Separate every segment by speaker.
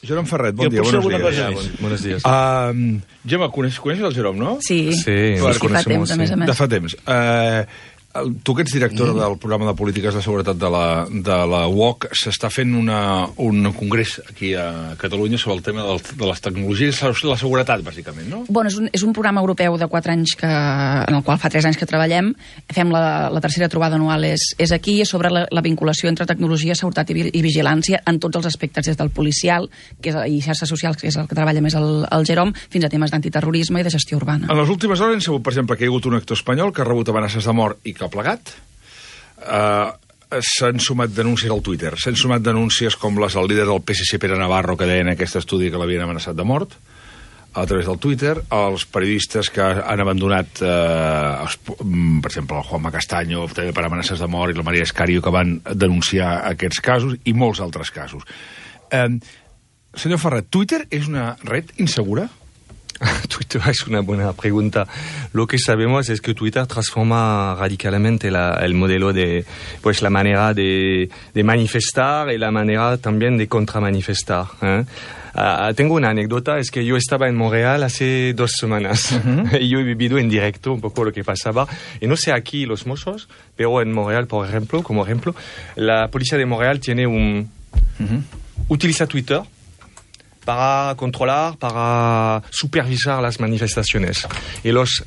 Speaker 1: Jerome Ferret, bon dia, buenos días.
Speaker 2: Buenos días.
Speaker 1: Gemma, coneixes el Jerome, no?
Speaker 3: Sí,
Speaker 2: fa
Speaker 3: temps, a més a més.
Speaker 1: De fa temps. Tu que ets directora del programa de polítiques de seguretat de la UOC, s'està fent un congrés aquí a Catalunya sobre el tema de les tecnologies i la seguretat, bàsicament, no?
Speaker 3: Bueno, és un programa europeu de 4 anys en el qual fa 3 anys que treballem. Fem la tercera trobada anual és aquí, sobre la vinculació entre tecnologia, seguretat i vigilància en tots els aspectes, des del policial i xarxes socials, que és el que treballa més el Jerome, fins a temes d'antiterrorisme i de gestió urbana.
Speaker 1: En les últimes hores hem sabut, per exemple, que hi ha hagut un actor espanyol que ha rebut amenaces de mort i que ha plegat. S'han sumat denúncies al Twitter. S'han sumat denúncies com les del líder del PSC, Pere Navarro, que deien en aquest estudi que l'havien amenaçat de mort a través del Twitter. Els periodistes que han abandonat, per exemple, el Juanma Castaño, també per amenaces de mort, i la Maria Escario, que van denunciar aquests casos, i molts altres casos. Senyor Ferret, Twitter és una red insegura?
Speaker 2: Twitter es una buena pregunta. Lo que sabemos es que Twitter transforma radicalmente el modelo de, pues, la manera de manifestar y la manera también de contramanifestar. Tengo una anécdota, es que yo estaba en Montreal hace 2 semanas y yo he vivido en directo un poco lo que pasaba. Y no sé aquí los Mossos, pero en Montreal, por ejemplo, como ejemplo, la policía de Montreal tiene utiliza Twitter para controlar, para supervisar las manifestaciones y los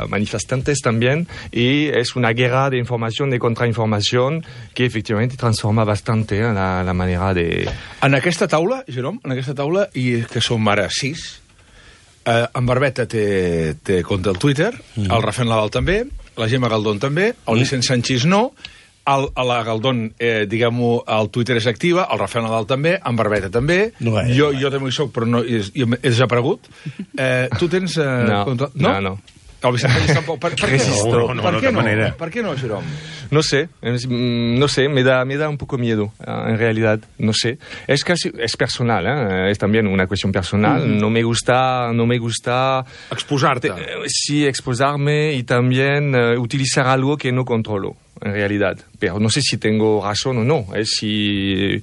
Speaker 2: manifestantes también, y es una guerra de información, de contrainformación, que efectivamente transforma bastante la manera de...
Speaker 1: En aquesta taula, Jerome, i que som ara 6, en Barbeta té compte al Twitter, el Rafael Nadal també, la Gemma Galdón també, el Vicent Sanchis no, la Galdón, diguem-ho, al Twitter és activa, el Rafael Nadal també, en Barbeta també, jo també hi soc, però no, he desaparegut. Tu tens...
Speaker 2: No.
Speaker 1: El Vicent Sanchis tampoc. Per què no? Per què no, Jerome?
Speaker 2: No sé, me da un poco miedo, en realidad, no sé. Es personal, es también una cuestión personal. No me gusta...
Speaker 1: Exposarte.
Speaker 2: Sí, exposarme y también utilizar algo que no controlo, en realidad. Pero no sé si tengo razón o no, si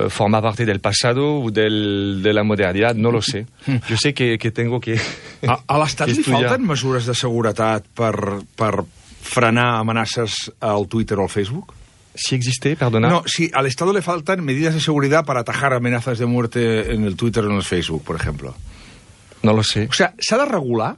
Speaker 2: forma parte del pasado o de la modernidad, no lo sé. Yo sé que tengo que
Speaker 1: a l'Estat li falten mesures de seguretat per frenar amenaces al Twitter o al Facebook?
Speaker 2: ¿Sí existe? Perdona.
Speaker 1: No, sí, al Estado le faltan medidas de seguridad para atajar amenazas de muerte en el Twitter o en el Facebook, por ejemplo.
Speaker 2: No lo sé.
Speaker 1: O sea, ¿s'ha de regular?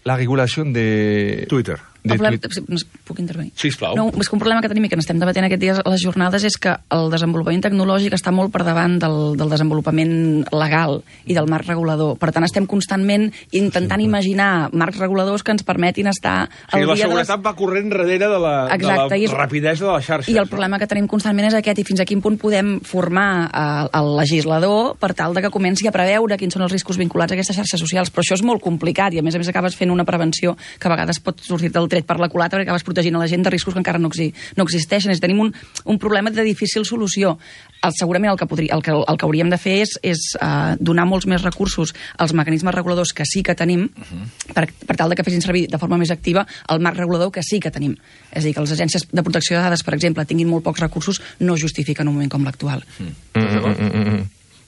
Speaker 2: La regulació de...
Speaker 1: Twitter.
Speaker 3: Puc intervenir?
Speaker 1: Sisplau.
Speaker 3: No, és que un problema que tenim i que n'estem debatent aquests dies a les jornades és que el desenvolupament tecnològic està molt per davant del desenvolupament legal i del marc regulador. Per tant, estem constantment intentant imaginar marcs reguladors que ens permetin estar al dia de
Speaker 1: la seguretat va corrent darrere de la rapidesa de la xarxa.
Speaker 3: I el problema que tenim constantment és aquest, i fins a quin punt podem formar el legislador per tal de que comenci a preveure quins són els riscos vinculats a aquestes xarxes socials. Però això és molt complicat i, a més acabes fent una prevenció que a vegades pot sortir del tret per la culata perquè acabes protegint a la gent de riscos que encara no existeixen. Tenim un problema de difícil solució. Segurament el que hauríem de fer és donar molts més recursos als mecanismes reguladors que sí que tenim per tal de que fessin servir de forma més activa el marc regulador que sí que tenim. És a dir, que les agències de protecció de dades, per exemple, tinguin molt pocs recursos, no justifiquen un moment com l'actual.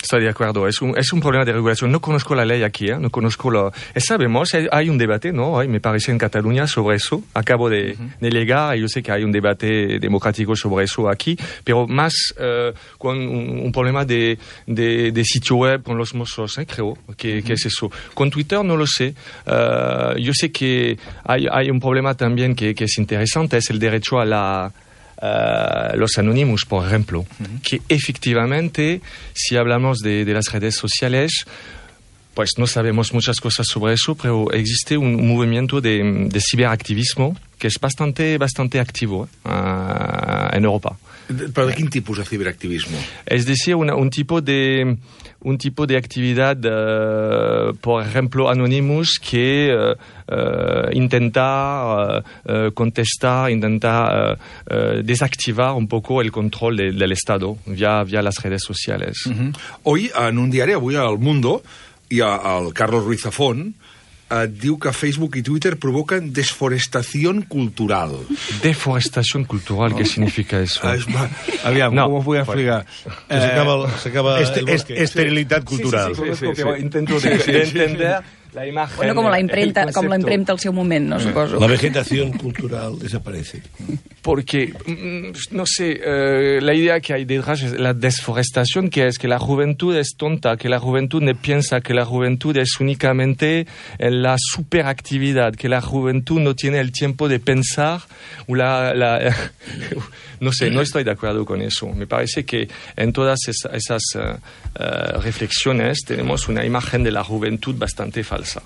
Speaker 2: Estoy de acuerdo, es un problema de regulación. No conozco la ley aquí, no conozco sabemos, hay un debate, ¿no? Hoy me parece en Cataluña sobre eso. Acabo de llegar y yo sé que hay un debate democrático sobre eso aquí, pero más con un problema de sitio web con los Mossos, creo que es eso. Con Twitter no lo sé. Yo sé que hay un problema también que es interesante, es el derecho a los anónimos, por ejemplo, que efectivamente, si hablamos de las redes sociales, pues no sabemos muchas cosas sobre eso, pero existe un movimiento de ciberactivismo que es bastante activo en Europa.
Speaker 1: ¿Pero de qué tipo de ciberactivismo?
Speaker 2: Es decir, un tipo de actividad, por ejemplo, Anonymous, que intenta contestar, intenta desactivar un poco el control del Estado vía las redes sociales.
Speaker 1: Hoy, en un diari, avui al Mundo, hi ha el Carlos Ruiz Zafón, diu que Facebook i Twitter provoquen desforestación cultural.
Speaker 2: Deforestación cultural, ¿qué significa eso?
Speaker 1: Aviam,
Speaker 2: No,
Speaker 1: com ho podem explicar?
Speaker 4: S'acaba el bosque. Esterilitat cultural.
Speaker 2: Sí. Intento de entender la imagen.
Speaker 3: Bueno, com la impremta al seu moment, no, suposo.
Speaker 4: La vegetación cultural desaparece.
Speaker 2: Porque, no sé, la idea que hay detrás es la desforestación, que es que la juventud es tonta, que la juventud no piensa, que la juventud es únicamente la superactividad, que la juventud no tiene el tiempo de pensar, o no sé, no estoy de acuerdo con eso. Me parece que en todas esas reflexiones tenemos una imagen de la juventud bastante falsa.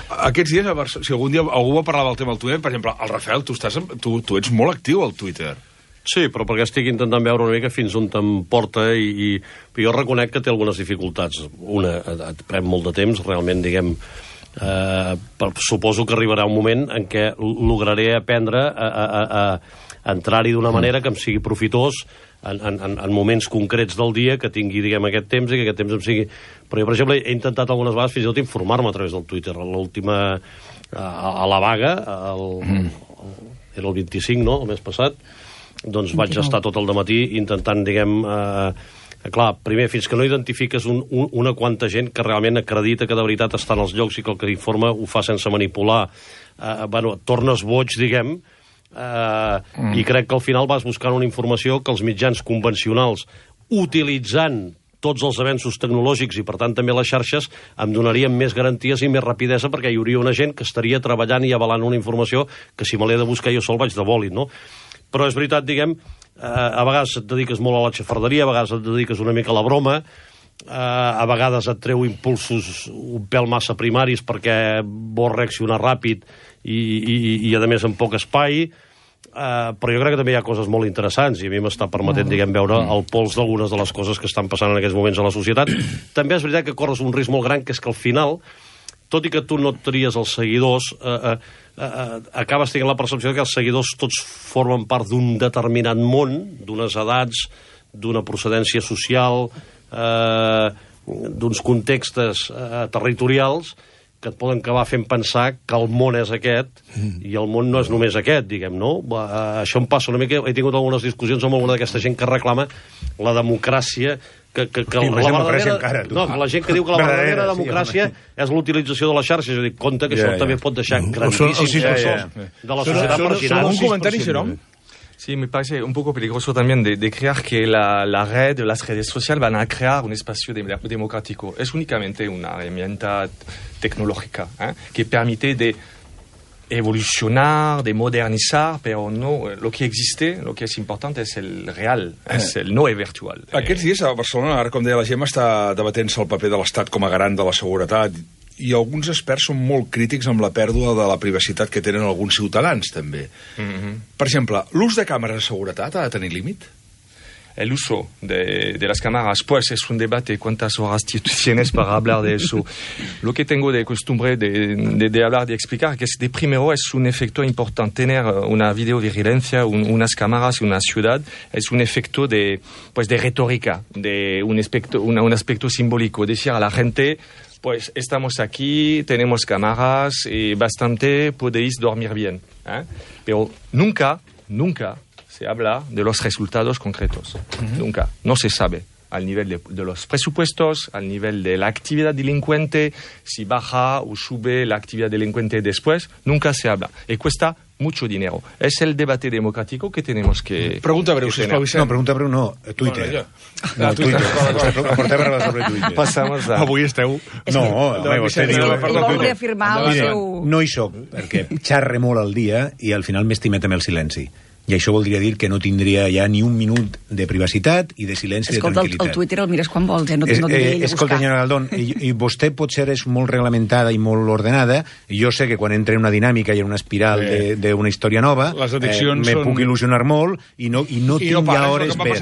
Speaker 1: Aquests dies, si algun dia algú va parlar del tema del Twitter, per exemple, el Rafael, tu ets molt actiu al Twitter.
Speaker 5: Sí, però perquè estic intentant veure una mica fins on t'emporta i jo reconec que té algunes dificultats. Una, et pren molt de temps, realment, diguem, suposo que arribarà un moment en què lograré aprendre a entrar-hi d'una manera que em sigui profitós en moments concrets del dia, que tingui, diguem, aquest temps i que aquest temps em sigui... Però jo, per exemple, he intentat algunes vegades fins i tot informar-me a través del Twitter. L'última, a la vaga, era el 25, no?, el mes passat, doncs vaig estar tot el dematí intentant, diguem... clar, primer, fins que no identifiques una quanta gent que realment acredita que de veritat està en els llocs i que el que informa ho fa sense manipular, bueno, et tornes boig, diguem, i crec que al final vas buscant una informació que els mitjans convencionals, utilitzant tots els avenços tecnològics i per tant també les xarxes, em donarien més garanties i més rapidesa, perquè hi hauria una gent que estaria treballant i avalant una informació que si me l'he de buscar jo sol vaig de bòlit, no? Però és veritat, diguem, a vegades et dediques molt a la xafarderia, a vegades et dediques una mica a la broma, a vegades et treu impulsos un pèl massa primaris perquè vols reaccionar ràpid i a més en poc espai, però jo crec que també hi ha coses molt interessants i a mi m'està permetent, diguem, veure el pols d'algunes de les coses que estan passant en aquests moments a la societat. També és veritat que corres un risc molt gran, que és que al final, tot i que tu no et tries els seguidors, acabes tenint la percepció que els seguidors tots formen part d'un determinat món, d'unes edats, d'una procedència social, d'uns contextes territorials que et poden acabar fent pensar que el món és aquest i el món no és només aquest, diguem, no? Això em passa una mica... He tingut algunes discussions amb alguna d'aquesta gent que reclama la democràcia que la verdadera... No, la gent que diu que la verdadera democràcia és l'utilització de les xarxes. Jo dic, compte que això també pot deixar grandíssims sectors de la societat marginats.
Speaker 1: Un comentari, Jerome?
Speaker 2: Sí, me parece un poco peligroso también de creer que las redes sociales van a crear un espacio democrático. Es únicamente una herramienta tecnológica que permite de evolucionar, de modernizar, pero no, lo que existe, lo que es importante es el real, es el no virtual.
Speaker 1: Aquests dies a Barcelona, ara com deia la Gemma, està debatent-se el paper de l'Estat com a garant de la seguretat i alguns experts són molt crítics amb la pèrdua de la privacitat que tenen alguns ciutadans, també. Per exemple, l'ús de càmeres de seguretat ha de tenir límit?
Speaker 2: El uso de las cámaras, pues es un debate. ¿Cuántas horas tienes para hablar de eso? Lo que tengo de costumbre de hablar, de explicar, que es de primero es un efecto importante. Tener una videovigilancia, unas cámaras y una ciudad, es un efecto de retórica, de un aspecto simbólico. Decir a la gente, pues estamos aquí, tenemos cámaras y bastante podéis dormir bien. Pero nunca se habla de los resultados concretos. Nunca. No se sabe al nivel de los presupuestos, al nivel de la actividad delincuente, si baja o sube la actividad delincuente después, nunca se habla. Y cuesta mucho dinero. Es el debate democrático que tenemos que...
Speaker 1: Pregunta breu, sisplau, Vicent.
Speaker 4: No, pregunta breu no, Twitter. No, Twitter. Portem a parlar sobre Twitter.
Speaker 2: Passamos a...
Speaker 1: Avui esteu...
Speaker 4: No, home, vostè diu...
Speaker 3: Ell vol reafirmar el seu...
Speaker 4: No hi soc, perquè xarre molt al dia i al final m'estimet amb el silenci. I això voldria dir que no tindria ja ni un minut de privacitat i de silenci i de tranquil·litat.
Speaker 3: Escolta, el Twitter el mires quan vols, no t'he de
Speaker 4: escolta, senyora Galdón, i vostè potser és molt reglamentada i molt ordenada, i jo sé que quan entra en una dinàmica i en una espiral d'una història nova, me puc il·lusionar molt i no tinc ja hores per...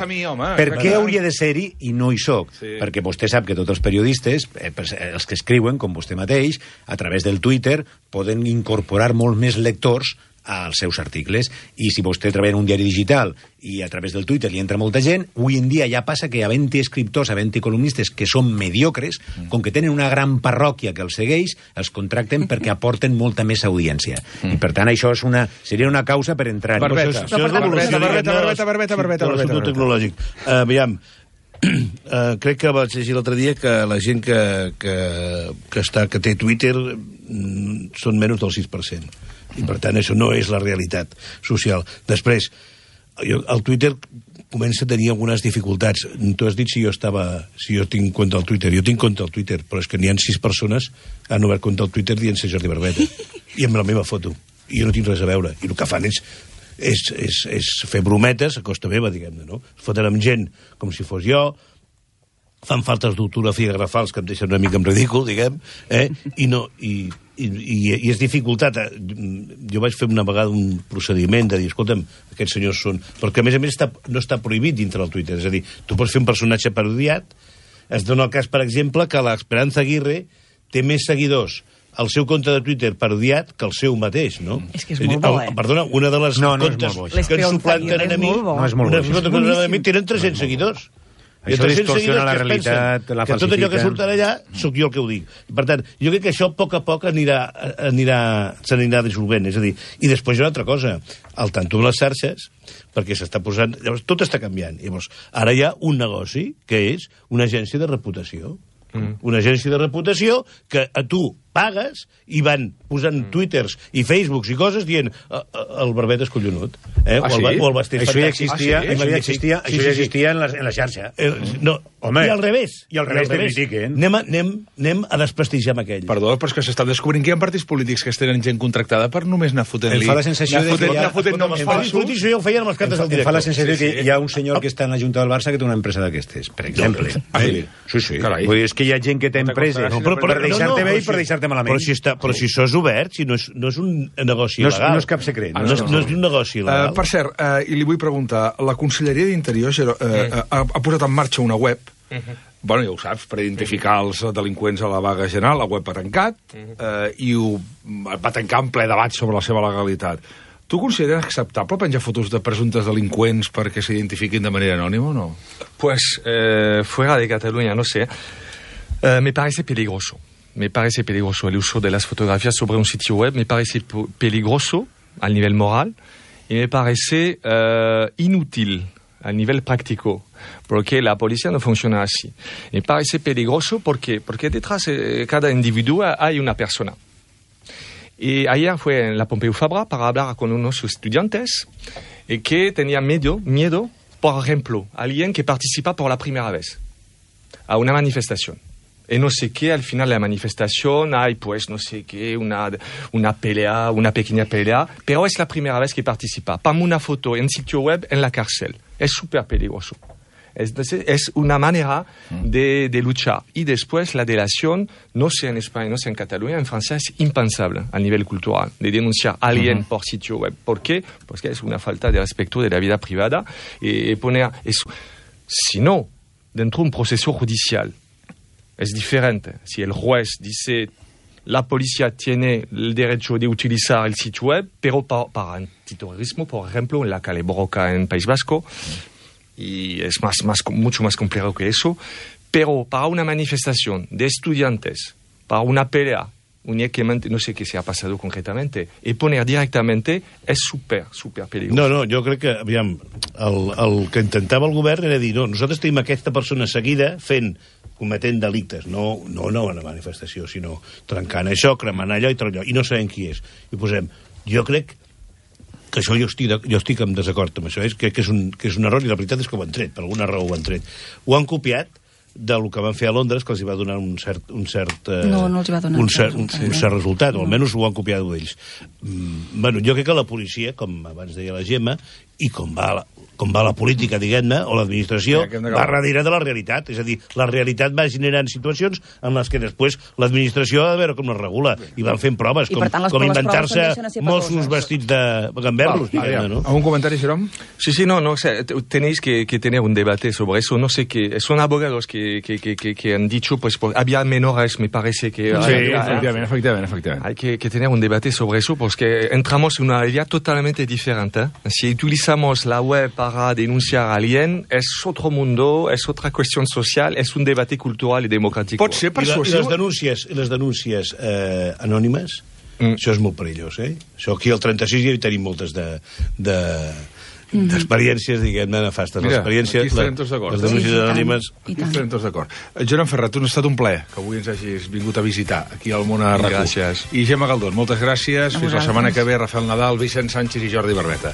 Speaker 4: Per què hauria de ser-hi i no hi soc? Perquè vostè sap que tots els periodistes, els que escriuen, com vostè mateix, a través del Twitter, poden incorporar molt més lectors als seus articles. I si vostè treballa en un diari digital i a través del Twitter li entra molta gent, avui en dia ja passa que havent-hi escriptors, havent-hi columnistes que són mediocres, com que tenen una gran parròquia que els segueix, els contracten perquè aporten molta més audiència. I per tant això seria una causa per entrar...
Speaker 1: Barbeta.
Speaker 6: Tecnològic. Aviam, crec que vaig llegir l'altre dia que la gent que té Twitter són menys del 6%. I per tant això no és la realitat social. Després, el Twitter comença a tenir algunes dificultats. Tu has dit si jo tinc compte al Twitter. Jo tinc compte al Twitter, però és que n'hi ha 6 persones que han obert compte al Twitter dient-se Jordi Barbeta. I amb la meva foto. I jo no tinc res a veure. I el que fan és fer brometes a costa meva, diguem-ne, no? Foten amb gent com si fos jo, fan faltes d'ortografia garrafals que em deixen una mica en ridícul, diguem, i és dificultat. Jo vaig fer una vegada un procediment de dir, escolta'm, aquests senyors són... Perquè, a més no està prohibit dintre del Twitter. És a dir, tu pots fer un personatge parodiat. Es dona el cas, per exemple, que l'Esperanza Aguirre té més seguidors al seu compte de Twitter parodiat que el seu mateix, no?
Speaker 3: És que és molt bo,
Speaker 6: Perdona, una de les comptes que ens suplanten a mi...
Speaker 4: No és molt bo.
Speaker 6: Tenen 300 seguidors.
Speaker 4: Això distorsiona la realitat, la falsifiquen.
Speaker 6: Que tot allò que surt allà, sóc jo el que ho dic. Per tant, jo crec que això a poc s'anirà dissolvent. És a dir, i després hi ha una altra cosa, al tanto amb les xarxes, perquè s'està posant... Llavors, tot està canviant. Llavors, ara hi ha un negoci, que és una agència de reputació. Una agència de reputació que a tu pagues i van posant twitters i facebooks i coses dient el Barbeta és collonut. O el Bastés.
Speaker 4: Això ja existia en la xarxa.
Speaker 6: No,
Speaker 4: home,
Speaker 6: i al revés.
Speaker 4: I al revés te critiquen.
Speaker 6: Anem a desprestigiar amb aquell.
Speaker 1: Perdó, però és que s'està descobrint que hi ha partits polítics que es tenen gent contractada per només anar fotent-li...
Speaker 4: Em fa la sensació
Speaker 6: que noms falsos. Això ja ho feien amb les cartes del director.
Speaker 4: Em fa la sensació que hi ha un senyor que està en la Junta del Barça que té una empresa d'aquestes, per exemple.
Speaker 1: Sí.
Speaker 4: Vull dir, és que hi ha gent que té empreses per deixar-te bé i per deixar-te malament.
Speaker 6: Però si això és obert, si no és un negoci il·legal.
Speaker 4: No és cap secret.
Speaker 6: No és un negoci il·legal.
Speaker 1: Per cert, i li vull preguntar, la Conselleria d'Interior ha posat en marxa una web, bueno, ja ho saps, per identificar els delinqüents a la vaga general, la web ha tancat, i va tancar en ple debat sobre la seva legalitat. Tu consideres acceptable penjar fotos de presumptes delinqüents perquè s'identifiquin de manera anònima o no?
Speaker 2: Pues, fuera de Cataluña, no sé. Me parece peligroso. El uso de las fotografías sobre un sitio web me parece peligroso al nivel moral y me parece inútil al nivel práctico, porque la policía no funciona así. Me parece peligroso porque detrás de cada individuo hay una persona. Y ayer fue en la Pompeu Fabra para hablar con unos estudiantes que tenían miedo, por ejemplo, alguien que participa por la primera vez a una manifestación. Y no sé qué, al final de la manifestación hay, pues, no sé qué, una pelea, una pequeña pelea, pero es la primera vez que participa. Ponme una foto en sitio web en la cárcel. Es súper peligroso. Es una manera de luchar. Y después la delación, no sé en España, no sé en Cataluña, en Francia es impensable a nivel cultural de denunciar a alguien por sitio web. ¿Por qué? Porque es una falta de respeto de la vida privada y poner eso. Si no, dentro de un proceso judicial, es diferente. Si el juez dice la policía tiene el derecho de utilizar el sitio web, pero para antiterrorismo, por ejemplo, en la calle Borroca en País Vasco, y es mucho más complejo que eso, pero para una manifestación de estudiantes, para una pelea, únicamente, no sé qué se ha pasado concretamente, y poner directamente es súper peligroso.
Speaker 6: No, jo crec que, aviam, el que intentava el govern era dir, no, nosaltres tenim aquesta persona seguida cometent delictes, no una manifestació, sinó trencant això, cremant allò i tot allò, i no sabem qui és. I posem, jo crec que això jo estic en desacord amb això, crec que és un error, i la veritat és que ho han tret, per alguna raó ho han tret. Ho han copiat del que van fer a Londres, que els va donar un cert resultat, o almenys ho han copiat d'ells. Bueno, jo crec que la policia, com abans deia la Gemma, i com va la política, diguem-ne, o l'administració, va darrere de la realitat. És a dir, la realitat va generant situacions en les que després l'administració ha de veure com es regula. I van fent proves, com inventar-se Mossos vestits de gamberros, diguem-ne, ¿no?
Speaker 1: ¿Algún comentario, Jerome?
Speaker 2: Sí, no, o sea, tenéis que tener un debate sobre eso. No sé qué, son abogados que han dicho, pues había menores, me parece que...
Speaker 1: Sí, efectivamente.
Speaker 2: Hay que tener un debate sobre eso, porque entramos en una realidad totalmente diferente. Si utilizamos la web para denunciar a alguien, és otro mundo, és otra cuestión social, és un debate cultural i democràtic.
Speaker 1: Pot ser persuasiu.
Speaker 6: I les denúncies anònimes, això és molt perillós, eh? Això aquí al 36 ja hi tenim moltes d'experiències, diguem-ne, nefastes.
Speaker 1: Mira, aquí estarem tots d'acord.
Speaker 6: Les denúncies anònimes...
Speaker 1: Aquí estarem tots d'acord. Joan Ferrat, ha estat un plaer que avui ens hagis vingut a visitar aquí al món a RAC1.
Speaker 2: Gràcies.
Speaker 1: I Gemma Galdón, moltes gràcies. Fins la setmana que ve, Rafael Nadal, Vicent Sánchez i Jordi Barbeta.